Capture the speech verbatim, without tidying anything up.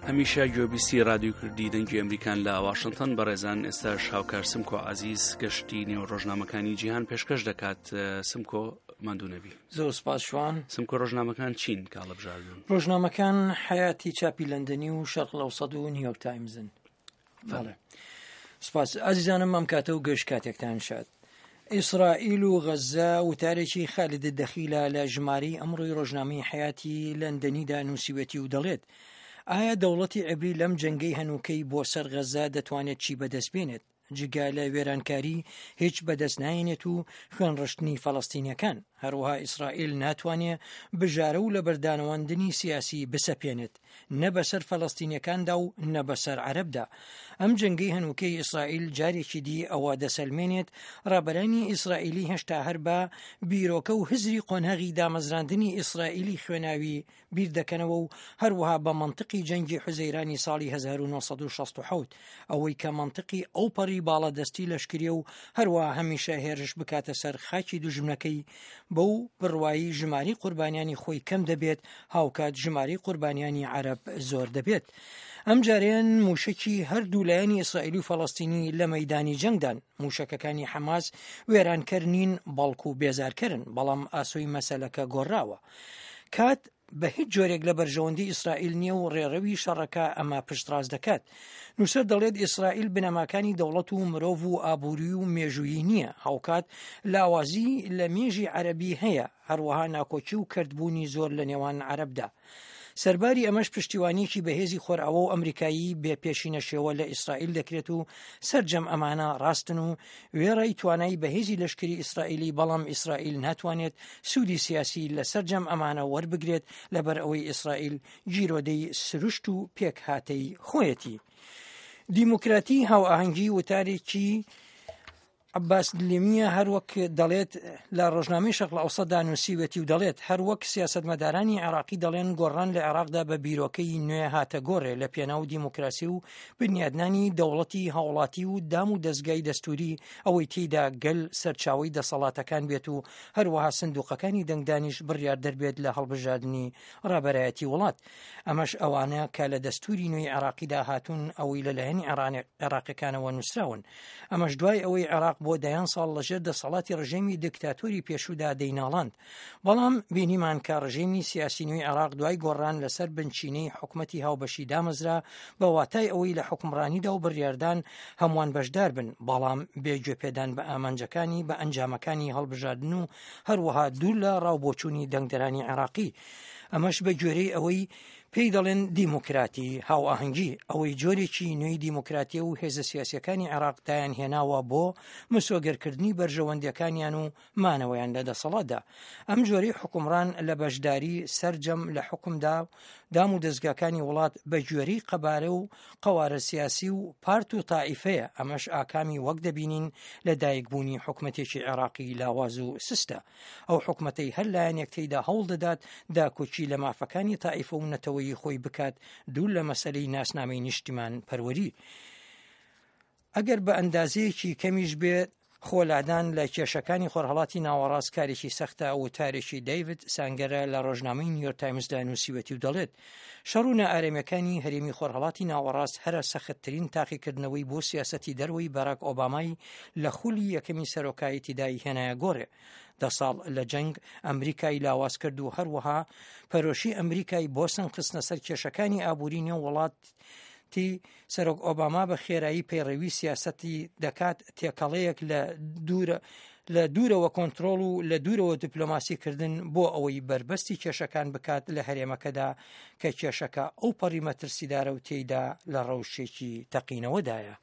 هەمیشە گوێبیستی رادیۆی کوردی دەنگی ئەمریکان لە واشنگتن. بەڕێزان، ئێستاش هاوکار سمکۆ عەزیز گەشتی نێو ڕۆژنامەکانی جیهان پێشکەش دەکات. سمکۆ، ماندوو نەبی. زۆر سپاس شوان. سمکۆ، ڕۆژنامەکان چین کە هەڵبژاردن؟ ڕۆژنامەکان حەیاتی چاپی لەندەنی و شەرق ئەوسەد و نیویۆرک تایمزن. بەڵێ، سپاس ئازیزانم، ئەم کاتە و گشت کاتێکتان شاد. ئیسرائیل و غەزە وتارێکی خالد دەخیلە لە ژمارەی ئەمڕۆی ڕۆژنامەی حەیاتی لەندەنیدا نووسیوەتی و دەڵێت: ئایا دەوڵەتی عبری لەم جەنگەی هەنووکەی بۆ سەر غەزە دەتوانێت چی بەدەست بێنێت؟ جگە لە وێرانکاری هیچ بەدەست نایەنێت و خوێنڕشتنی فەڵەستینیەکان. هەروەها ئیسرائیل ناتوانێت بژارە و لەبەردانەواندنی سیاسی بسەپێنێت، نە بەسەر فەلەستینیەکاندا و نە بەسەر عەرەبدا. ئەم جەنگەی هەنووکەی ئیسرائیل جارێکی دی ئەوە دەسەلمێنێت ڕابەرانی ئیسرائیلی هێشتا هەر بە بیرۆکە و هزری قۆناغی دامەزراندنی ئیسرائیلی خوێناوی بیر دەکەنەوە و هەروەها بە مەنتقی جەنگی حوزەیرانی ساڵی هەزار و نۆ سەد و شەست و حەوت، ئەوەی کە مەنتقی ئەو پەڕی باڵادەستی لەشکریە و هەروەها هەمیشە هێرش بکاتە سەر خاکی دوژمنەکەی، بەو بڕوایی ژماری قوربانیانی خۆی کەم دەبێت، هاوکات ژماری قوربانیانی عەرەب زۆر دەبێت. ئەم جارەیان موشکی هەردوو لایەنی ئیسرائیلی و فەڵەستینی لە مەدانی جەنگدان. موشەکەکانی حەماس وێرانکەر نین، بەڵکو بێزارکەرن، بەڵام ئاسۆی مەسەلەکە گۆڕاوە. کات بە هیچ جۆرێک لە بەرژەوەندی ئیسرائیل نییە و ڕێڕەوی شەڕەکە ئەمە پشتڕاست دەکات. نووسەر دەڵێت ئیسرائیل بنەماکانی دەوڵەت و مرۆڤ و ئابووری و مێژوویی نییە، هاوکات لاوازی لە مێژی عەرەبی هەیە، هەروەها ناکۆکی و کردبوونی زۆر لە نێوان عەرەبدا. سەرباری ئەمەش پشتیوانیەکی بەهێزی خۆرئاوا و ئەمریکایی بێ پێشینە شێوە لە ئیسرائیل دەکرێت و سەرجەم ئەمانە ڕاستن و وێڕای توانای بەهێزی لەشکری ئیسرائیلی، بەڵام ئیسرائیل ناتوانێت سوودی سیاسی لە سەرجەم ئەمانە وەربگرێت، لەبەر ئەوەی ئیسرائیل گیرۆدەی سروشت و پێکهاتەی خۆیەتی. دیموکراتی هاوئاهەنگی وتارێکی عباس دلیمیە، هەروەک دەڵێت لە ڕۆژنامەی شەرق ئەوسەدا نووسیوێتی و دەڵێت هەروەک سیاسەتمەدارانی عێراقی دەڵێن گۆڕان لە عێراقدا بە بیرۆکەی نوێ هاتە گۆڕێ لە پێناو دیموکراسی و بنیادنانی دەوڵەتی هاوڵاتی و دام و دەستگای دەستوری، ئەوەی تێیدا گەل سەرچاوی دەسەڵاتەکان بێت و هەروەها سندوقەکانی دەنگدانیش بڕیار دەربێت لە هەڵبژاردنی ڕابەرایەتی وڵات. ئەمەش ئەوانە کە لە دەستوری نوێی عێراقیدا هاتوون، ئەوەی لەلایەن عێراقیەکانەوە نووسراون. ئەمەش دوای ئەوەی عێراق بۆ دەیان ساڵ لەژێر دەسەڵاتی ڕژێمی دیکتاتۆری پێشودا دەیناڵاند. بەڵام بینیمان کە ڕژێمی سیاسی نوێی عێراق دوای گۆڕان لەسەر بنچینەی حکومەتی هاوبەشی دامەزرا، بە واتای ئەوەی لە حکومڕانیدا و بڕیاردان هەمووان بەشدار بن، بەڵام بێ گوێپێدان بە ئامانجەکانی بە ئەنجامەکانی هەڵبژاردن و هەروەها دوور لە ڕاوبۆچوونی دەنگدەرانی عێراقی. ئەمەش بە گوێرەی ئەوەی پێی دەڵێن دیموکراتی هاوئاهەنگی، ئەوەی جۆرێکی نوێی دیموکراتی و هێزە سیاسیەکانی عێراق دایان هێناوە بۆ مسۆگەرکردنی بەرژەوەندیەکانیان و مانەوەیان لە دەسەڵاتدا. ئەم جۆری حکومڕان لە بەشداری سەرجەم لە حکومدا دام و دەستگاکانی وڵات بە گوێرەی قەبارە و قەوارە سیاسی و پارت و تائیفەیە. ئەمەش ئاکامی وەک دەبینین لە دایکبوونی حکومەتێکی عێراقی لاواز و سستە، ئەو حکومەتەی هەر لایەنێک تێیدا هەوڵ دەدات داکۆکی لە مافەکانی تائیفە و نەتەوەیی خۆی بکات، دوور لە مەسەلەی ناسنامەی نیشتیمان پەروەری. ئەگەر بە ئەندازەیەکی کەمیش بێت خۆلادان لە کێشەکانی خۆرهەڵاتی ناوەڕاست کارێکی سەختە. وتارێکی دەیڤد سانگەرە لە ڕۆژنامەی نیویۆرک تایمزدا نووسیوەتی و دەڵێت شەڕ و نائارامیەکانی هەرێمی خۆرهەڵاتی ناوەڕاست هەرە سەختترین تاقیکردنەوەی بۆ سیاسەتی دەرەوەی باراک ئۆبامای لە خولی یەکەمی سەرۆکایەتیدای هێنایە گۆڕێ. دە ساڵ لە جەنگ ئەمریکای لاواز کرد و هەروەها پەرۆشی ئەمریکای بۆ سەنگ خستنە سەر کێشەکانی ئابووری نێو وڵاتی. سەرۆک ئۆباما بە خێرایی پەیڕەوی سیاسەتی دەکات، تێکەڵەیەک لە دوورە لە دوورەوە کۆنترۆڵ و لە دوورەوە دیپلۆماسیکردن، بۆ ئەوەی بربەستی کێشەکان بکات لە هەرێمەکەدا، کە کێشەکە ئەو پەڕی مەترسیدارە و تێیدا لە ڕەوشێکی تەقینەوەدایە.